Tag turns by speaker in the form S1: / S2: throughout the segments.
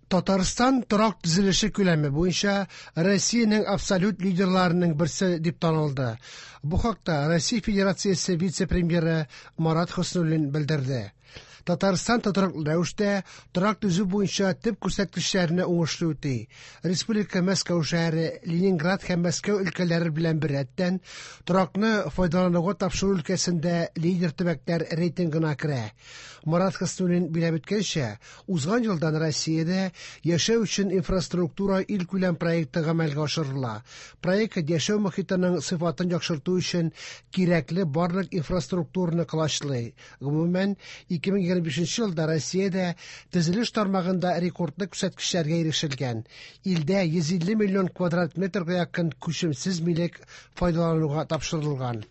S1: Татарстан торак төзелеше күләме буенча Россиянең абсолют лидерларының берсе дип танылды. Бу хакта Россия Федерациясе вице-премьеры Марат Хөснуллин белдерде. Татарстан тотрыклы рәвештә торак төзү буенча төп күрсәткечләрне уңышлы үти. Республика Мәскәү шәһәре, Ленинград һәм Мәскәү өлкәләре белән беррәттән торакны файдалануга тапшыру өлкәсендә лидер төбәкләр рейтингына керә. Марат Хөснуллин биләп үткәнчә, узган елдан Россиядә яшәү өчен инфраструктура илкүләм проекты гамәлгә ашырыла. Проект яшәү мохитының сыйфатын яхшырту өчен кирәкле барлык инфраструктураны колачлый. Гомумән, 2025 елда Россиядә төзелеш тармагында рекордлы күрсәткечләргә ирешелгән. Илдә 150 миллион квадрат метрга якын күчемсез милек файдалануга тапшырылган.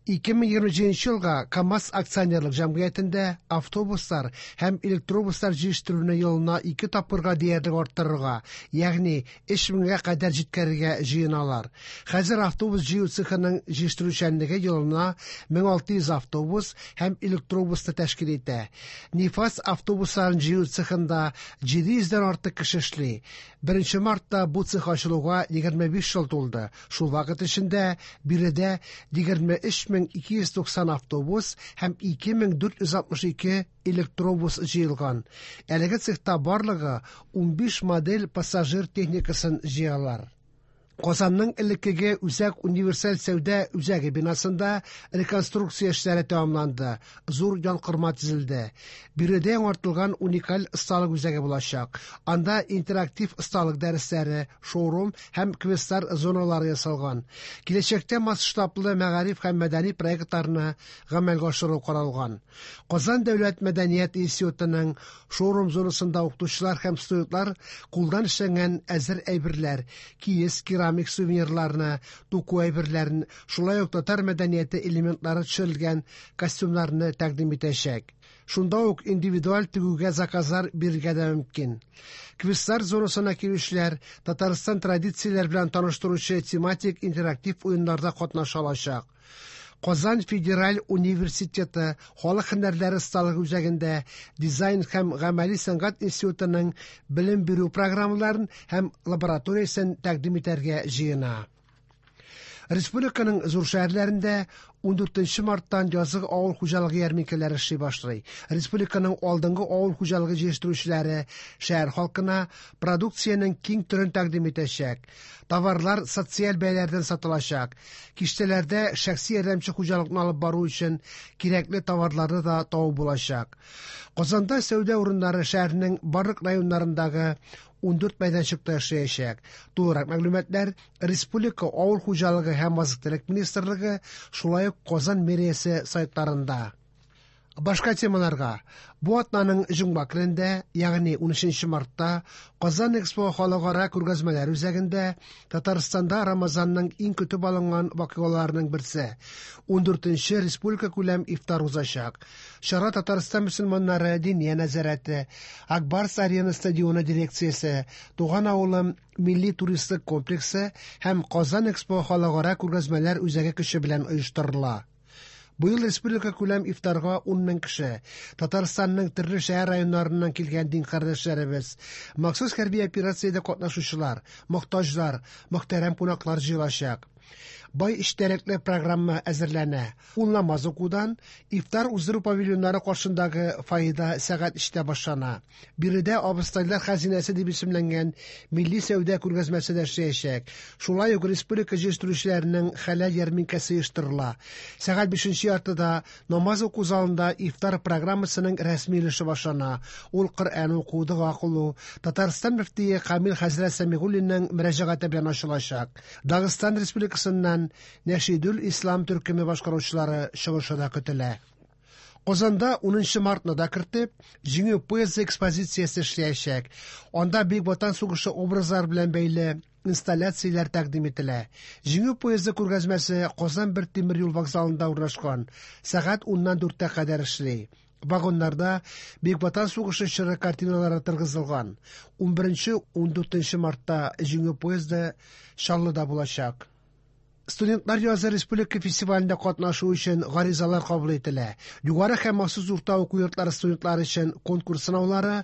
S1: 2027 елга КАМАЗ акционерлык җәмгыятендә автобуслар һәм электробуслар җитештерүне елына ике тапкырга диярлек арттырырга, ягъни 3 меңгә кадәр җиткерергә җыеналар. Хәзер автобус җыю цехының җитештерүчәнлеге елына 1600 автобус һәм электробусны тәшкил итә. Нефаз автобусларын җыю цехында 700 дән артык кеше эшли. 1 мартта бу цех ачылуга 25 ел тулды. Шул вакыт эчендә биредә 23290 автобус һәм 2462 электробус җыелган. Әлеге цехта барлыгы 15 модель пассажир техникасын җыялар. Казанның элеккеге Үзәк универсаль сәүдә үзәге бинасында реконструкция эшләре тәмамланды, зур янкорма төзелде. Биредә яңартылган уникаль осталык үзәге булачак. Анда интерактив осталык дәресләре, шоурум һәм квестлар зоналары ясалган. Киләчәктә масштаблы мәгариф һәм мәдәни проектларны гамәлгә ашыру каралган. Казан дәүләт мәдәният институтының шоурум зонасында укытучылар һәм студентлар кулдан эшләнгән әзер әйберләр, киез, керамик сувенирларны, туку әйберләрен, шулай ук татар мәдәнияте элементлары төшерелгән костюмнарны тәкъдим итәчәк. Шунда ук индивидуаль тегүгә заказлар бирергә дә мөмкин. Квестлар зонасына килүчеләр Татарстан традицияләре белән таныштыручы тематик интерактив уеннарда катнаша алачак. Казан федераль университеты халык һөнәрләре осталыгы үзәгендә дизайн һәм гамәли сәнгать институтының белем бирү программаларын һәм лабораториясен тәкъдим итәргә җыена. Республиканың зур шәһәрләрендә 14 марттан язгы авыл хуҗалыгы ярминкәләре эшли башлый. Республиканың алдынгы авыл хуҗалыгы җитештерүчеләре шәһәр халкына продукциянең киң төрен тәкъдим итәчәк. Товарлар социаль бәяләрдән сатылачак. Киштәләрдә шәхси ярдәмче хуҗалыкны алып бару өчен кирәкле товарларны да табып булачак. Казанда сәүдә урыннары шәһәрнең барлык районнарындагы 14 мәйданчыкта эшләячәк. Тулырак мәгълүматлар Республика авыл хуҗалыгы һәм азык-төлек министрлыгы, шулай ук Казан мэриясе сайтларында. Башка темаларга. Бу атнаның җомга көнендә, ягъни 13 мартта, Казан Экспо халыкара күргәзмәләр үзәгендә Татарстанда Рамазанның иң көтеп алынган вакыйгаларының берсе 14 республика күләм ифтар узачак. Чара Татарстан мөселманнары Диния нәзарәте, Ак Барс Арена стадионы дирекциясе, Туган авылым милли туристлык комплексы һәм Казан Экспо халыкара күргәзмәләр үзәге көче белән оештырыла. Быел республика күләм ифтарга 10 мең кеше, Татарстанның төрле шәһәр районнарыннан килгән дин кардәшләребез, махсус хәрби операциядә катнашучылар, мохтаҗлар, мөхтәрәм кунаклар җыелачак. Бай эчтәлекле программа әзерләнә. Ул намаз укудан, ифтар уздыру павильоннары каршындагы фойеда сәгать 3тә башлана. Биредә Абыстайлар хәзинәсе дип исемләнгән милли сәүдә күргәзмәсе дә эшләячәк. Шулай ук республика җитештерүчеләренең хәләл ярминкәсе оештырыла. Сәгать 5 яртыда намаз уку залында ифтар программасының рәсми өлеше башлана. Ул Коръән уку, дога кылу, Татарстан мөфтие Камил хәзрәт Сәмигуллинның мөрәҗәгате белән ачылачак. Дагыстан Республикасыннан Нәшидүл Ислам төркеме башкаручылары чыгышы да көтелә. Казанда 10 мартны да кертеп, Җиңү поезды экспозициясе эшләячәк. Анда Бөек Ватан сугышы образлары белән бәйле инсталляцияләр тәкъдим ителә. Җиңү поезды күргәзмәсе Казан бер тимер юл вокзалында урнашкан. Сәгать 10-нан 4-тә кадәр эшли. Вагоннарда Бөек Ватан сугышы чоры картиналары торгызылган. 11-14 мартта Җиңү поезды Чаллыда булачак. Студентлар язы республика фестивалендә катнашу өчен гаризалар кабул ителә. Югары һәм махсус урта уку йортлары студентлары өчен конкурс сынаулары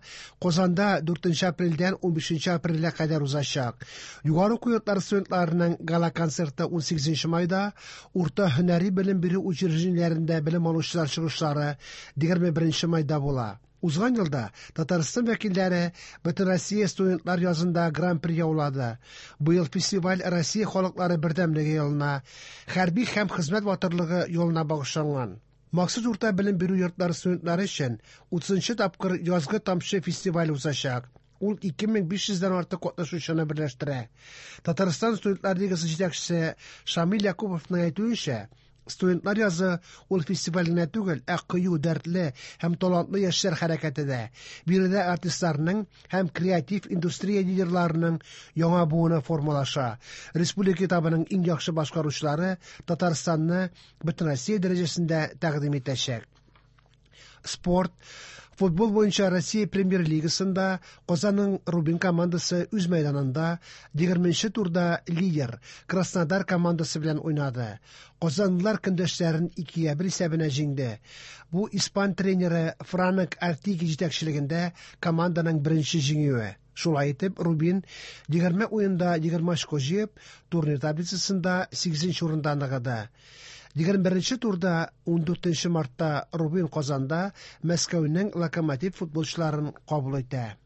S1: Казанда 4 апрельдән 15 апрельгә кадәр узачак. Югары уку йортлары студентларының гала-концерты 18 майда, урта һөнәри белем бирү учреждениеләрендә белем алучылар чыгышлары 21 майда була. Узган елда Татарстан вәкилләре Бөтенроссия студентлар язында гран-при яулады. Быел фестиваль Россия халыклары бердәмлеге елына, хәрби һәм хезмәт батырлыгы елына багышланган. Махсус урта белем бирү йортлары студентлары өчен 30 тапкыр Язгы тамчы фестивале узачак. Ул 2500 дән артык катнашучыны берләштерә. Татарстан студентлар лигасы җитәкчесе Шамил Якуповның әйтүенчә, студентлар язы ул фестиваль генә түгел, ә кыю, дәртле һәм талантлы яшьләр хәрәкәте дә. Биредә артистларның һәм креатив индустрия лидерларының яңа буыны формалаша. Республика этабының иң яхшы башкаручылары Татарстанны Бөтенроссия дәрәҗәсендә тәкъдим итәчәк. Спорт. Футбол буенча Россия премьер-лигасында Казанның Рубин командасы үз мәйданында 20 турда лидер Краснодар командасы белән уйнады. Казанлылар көндәшләрен 2-1 исәбенә җиңде. Бу испан тренеры Франк Артиги җитәкчелегендә команданың беренче җиңүе. Шулай итеп, Рубин 20 уенда 20 очко җыеп, турнир таблицасында 8 урында ныгыды. 21 турда 14 мартта Рубин Казанда Мәскәүнең Локомотив футболчыларын кабул итә.